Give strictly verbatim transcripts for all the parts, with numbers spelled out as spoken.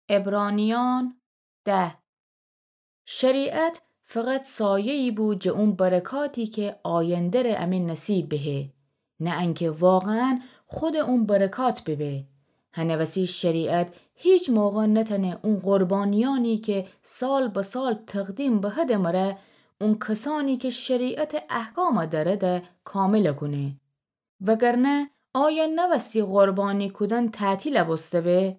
عبرانیان ده. شریعت فقط سایه‌یی بو جه اون برکاتی که آینده‌ره امه نصیب بهه، نه انکه واقعاً خود اون برکات ببه. هنه وسی شریعت هیچ موقع نتنه اون قربانیانی که سال به سال تقدیم بهده مره، اون کسانی که شریعت احکام دأرده کامل کونه. وگرنه آیا نوستی قربانی کودن تعطیل بوسته به؟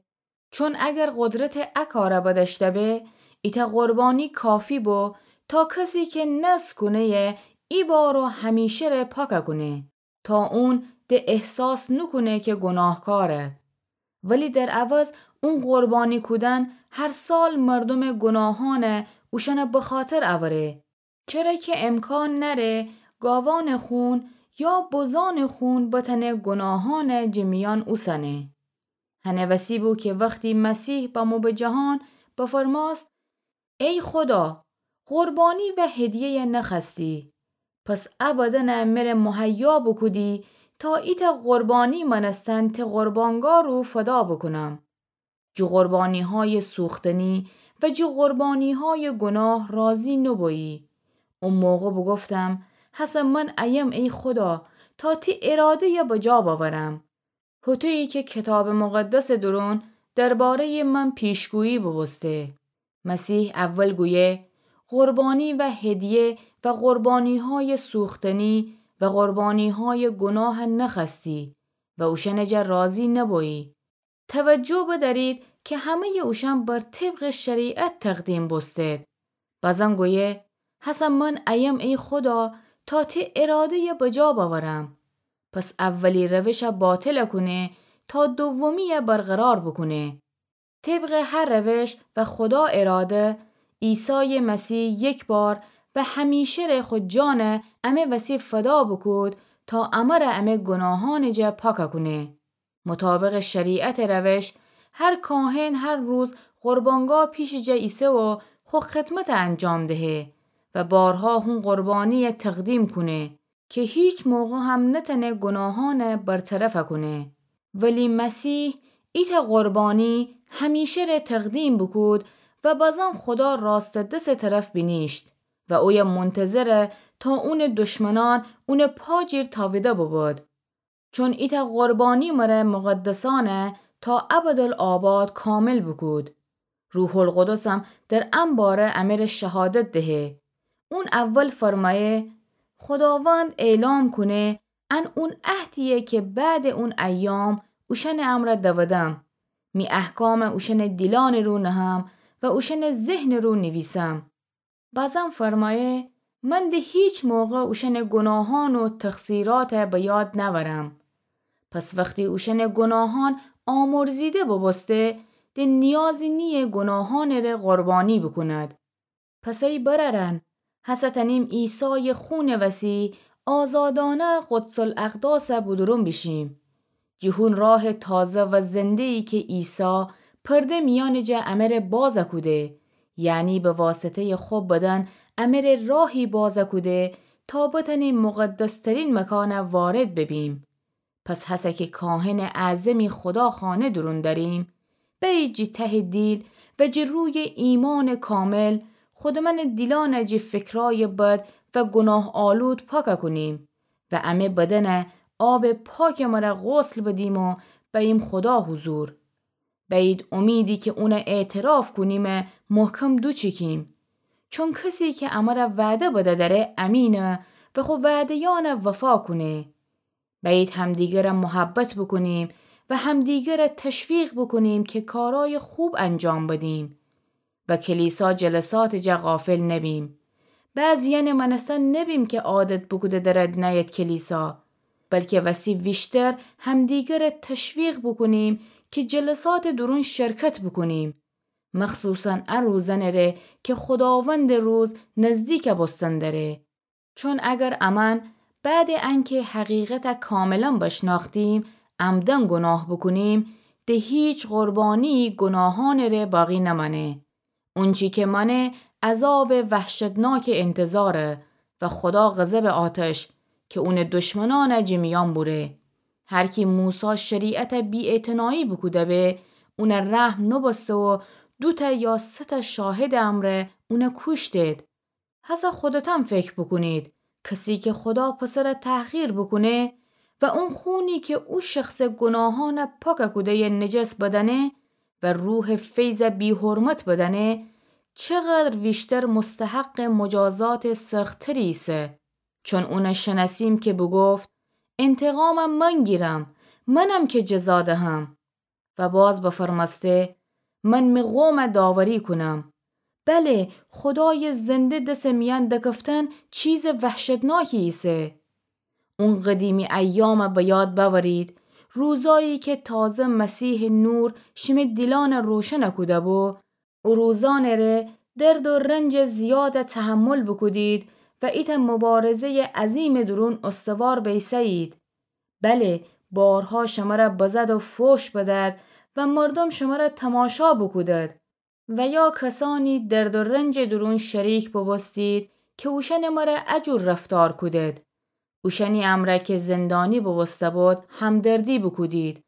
چون اگر قدرت ا کار بدأشته به، ایتأ قربانی کافی بو تا کسی که نذر کونه‌یه ای بار و همیشه‌ره پاک کونه، تا اون ده احساس نوکونه که گناهکاره. ولی در عوض اون قربانی کودن هر سال مردومٚ گناهانه اوشأنه بخاطر اوره. چره که امکان نأره گاوانٚ خون یا بزانٚ خون بتأنه گناهانه جه میأن اوسأنه. هنه وسی بو که وختی مسیح بمو به جهان، بفرمأست: ای خدا، قربانی و هدیه‌یه نخوأستی، پس ا بدنه مره مهیا بوکودی تا ایتأ قربانی مأنستن ته قربانگاه رو فدا بوکونم. جٚه قربانی‌هایٚ سوختنی و جٚه قربانی‌هایٚ گناه راضی نوبویی. او موقع بوگفتم: هسه من ایم ای خدا، تا تی اراده‌یه بجا بأورم. هوطویی که کتابٚ مقدسٚ دورون درباره‌یٚ من پیشگویی بوبوسته. مسیح اول گویه: قربانی و هدیه و قربانی‌هایٚ سوختنی و قربانی‌هایٚ گناه نخوأستی و اوشأنٚ جا راضی نوبویی. توجه بدأرید که همه‌یٚ اوشأن بر طبقٚ شریعت تقدیم بوستید. بازم گویه: هسه من ایم ای خدا، تا تی اراده‌یه بجا بأورم. پس اولی روشه باطل کونه تا دومیه برقرار بوکونه. طبقٚ هر روش و خدا اراده، عیسایٚ مسیح یک بار و همیشه‌ره خو جانه امه وسی فدا بوکود تا امره امه گناهانٚ جا پاک کونه. مطابقٚ شریعتٚ روش، هر کاهن هر روز قربانگاه پیشٚ جا ایسه و خو خدمت انجام دهه و بارها هون قربانیه تقدیم کونه که هیچ موقع هم نتأنه گناهانه برطرف کونه. ولی مسیح ایتأ قربانی همیشه‌ره تقدیم بوکود و بازم خدا راستٚ دسٚ طرف بینیشت و اویه منتظره تا اونٚ دشمنان اونٚ پا جیر تاویده ببود. چون ایتأ قربانی مره مقدسأنه تا ابدالآباد کامل بوکود. روح‌القدسم در ان باره امره شهادت دهه. اون اول فرمایه: خداوند اعلام کونه، ان اون عهدیه که بعدٚ اون ایام اوشأنٚ امرأ دودم. می احکام اوشأنٚ دیلانٚ رو نهم و اوشأنٚ ذهنٚ رو نیویسم. بازم فرمایه: من ده هیچ موقع اوشأنٚ گناهان و تقصیرات به یاد نأورم. پس وختی اوشأنٚ گناهان آمرزیده ببوسته، ده نیازی نییه گناهانٚ ره قربانی بوکوند. پس ای برأرأن، هسه تأنیم عیسایٚ خونٚ وسی آزادانه قدس‌الاقداسه بودورون بیشیم. جٚه هون راهٚ تازه و زنده‌یی که عیسی پرده میأنٚ جا امره باز کوده، یعنی به واسطه‌یٚ خو بدن امره راهی باز کوده تا بتأنیم مقدس‌ترین مکانه وارد ببیم. پس هسه که کاهنٚ اعظمی خداخانه دورون دأریم، بأیید جٚه تهٚ دیل و جٚه رویٚ ایمانٚ کامل خودمأنٚ دیلانه جٚه فکرایٚ بد و گناه‌آلود پاک کونیم و امه بدنه آبٚ پاکٚ مره غسل بدیم و بأییم خدا حضور. بأیید امیدی که اونه اعتراف کونیمه محکم دوچیکیم. چون کسی که امره وعده بده دأره امینه و خو وعده‌یأنه وفا کونه. بأیید همدیگره محبت بوکونیم و همدیگره تشویق بوکونیم که کارایٚ خوب انجام بدیم و کلیسا جلساتٚ جا غافل نبیم. بعضیأنٚ مأنستن نبیم که عادت بوکوده درد نأید کلیسا، بلکه وستی ویشتر همدیگره تشویق بوکونیم که جلساتٚ دورون شرکت بوکونیم، مخصوصاً ا روزأنٚ ره که خداوندٚ روز نزدیک بوستن دأره. چون اگر امأن بعدٚ انکه حقیقته کاملاً بشنأختیم، عمداً گناه بوکونیم، ده هیچ قربانیی گناهأنٚ ره باقی نمأنه. اونچی که مأنه عذابٚ وحشتناکٚ انتظاره و خدا غضبٚ آتش که اونٚ دشمنأنه جٚه میأن بوره. هر کی موسی شریعته بی‌اعتنایی بوکوده به، اونَ رحم نوبوسته و دوتأ یا سه‌تأ شاهدٚ امرأ اونَ کوشتید. هسه خودتأن فکر بوکونید، کسی کی خودا پسرَ تحقیر بوکونه و اون خونی کی او شخصٚ گوناهأنَ پاک کوده‌یَ نجس بدأنه و روحٚ فیضَ بی‌حرمت بدأنه، چقدر ویشتر مستحقٚ مجازاتٚ سخت‌تری ایسه. چون اونَ شنأسیم کی بوگفت: انتقامَ من گیرم، منم کی جزا دهم. و باز بفرمأسته: من می قومَ داوری کونم. بله، خودایٚ زنده دسٚ میأن دکفتن چیزٚ وحشتناکی ایسه. اون قدیمی ایامَ به یاد بأورید، روزأیی کی تازه مسیحٚ نور شیمه دیلأنَ روشن کوده‌بو. او روزأنٚ ره درد و رنجٚ زیادَ تحمل بوکودید و ایتأ مبارزه‌یٚ عظیمٚ دورون استوار بیسه‌یید. بله، بارها شمرَ بزد و فوش بدد و مردوم شمرَ تماشا بوکودد. و یا کسأنی درد و رنجٚ دورون شریک بوبوستید کی اوشأنٚ مرأ ا جور رفتار کودید. اوشأنی امرأ کی زندانی بوبوسته‌بود، همدردی بوکودید.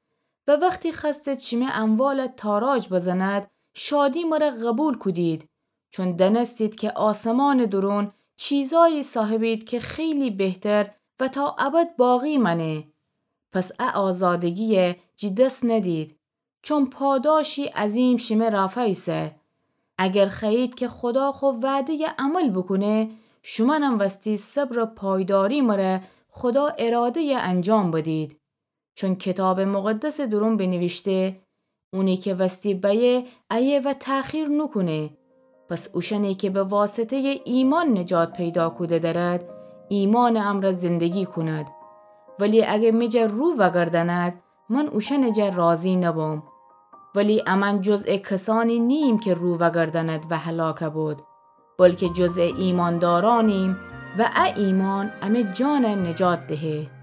و وختی خوأستید شیمه اموالَ تاراج بزند، شادی مرأ قوبیل کودید. چون دأنستید کی آسمانٚ دورون چیزأیی صاحبید کی خیلی بهتر و تا ابد باقی مأنه. پس ا آزادگیَ جی دس ندید، چون پاداشی عظیم شیمه رافا ایسه. اگر خوأیید کی خودا خو وعده‌یَ عمل بوکونه، شومأنم وستی صبر و پایداری مرأ خودا اراده‌یَ انجام بدید. چون کیتابٚ مقدسٚ دورون بینیویشته: اونی کی وستی بأیه، ایه و تأخیر نوکونه. پس اوشأنی کی به واسطه‌یٚ ایمأن نجات پیدا کوده دأرد، ایمأنٚ امرأ زندگی کونید. ولی اگر می جا رو وأگردأنید، من اوشأنٚ جا راضی نبم. ولی امأن جزء کسأنی نییم کی رو وأگردأنید و هلاک بود، بلکی جزء ایمأندارأنیم و ا ایمأن امی جانَ نجات دهه.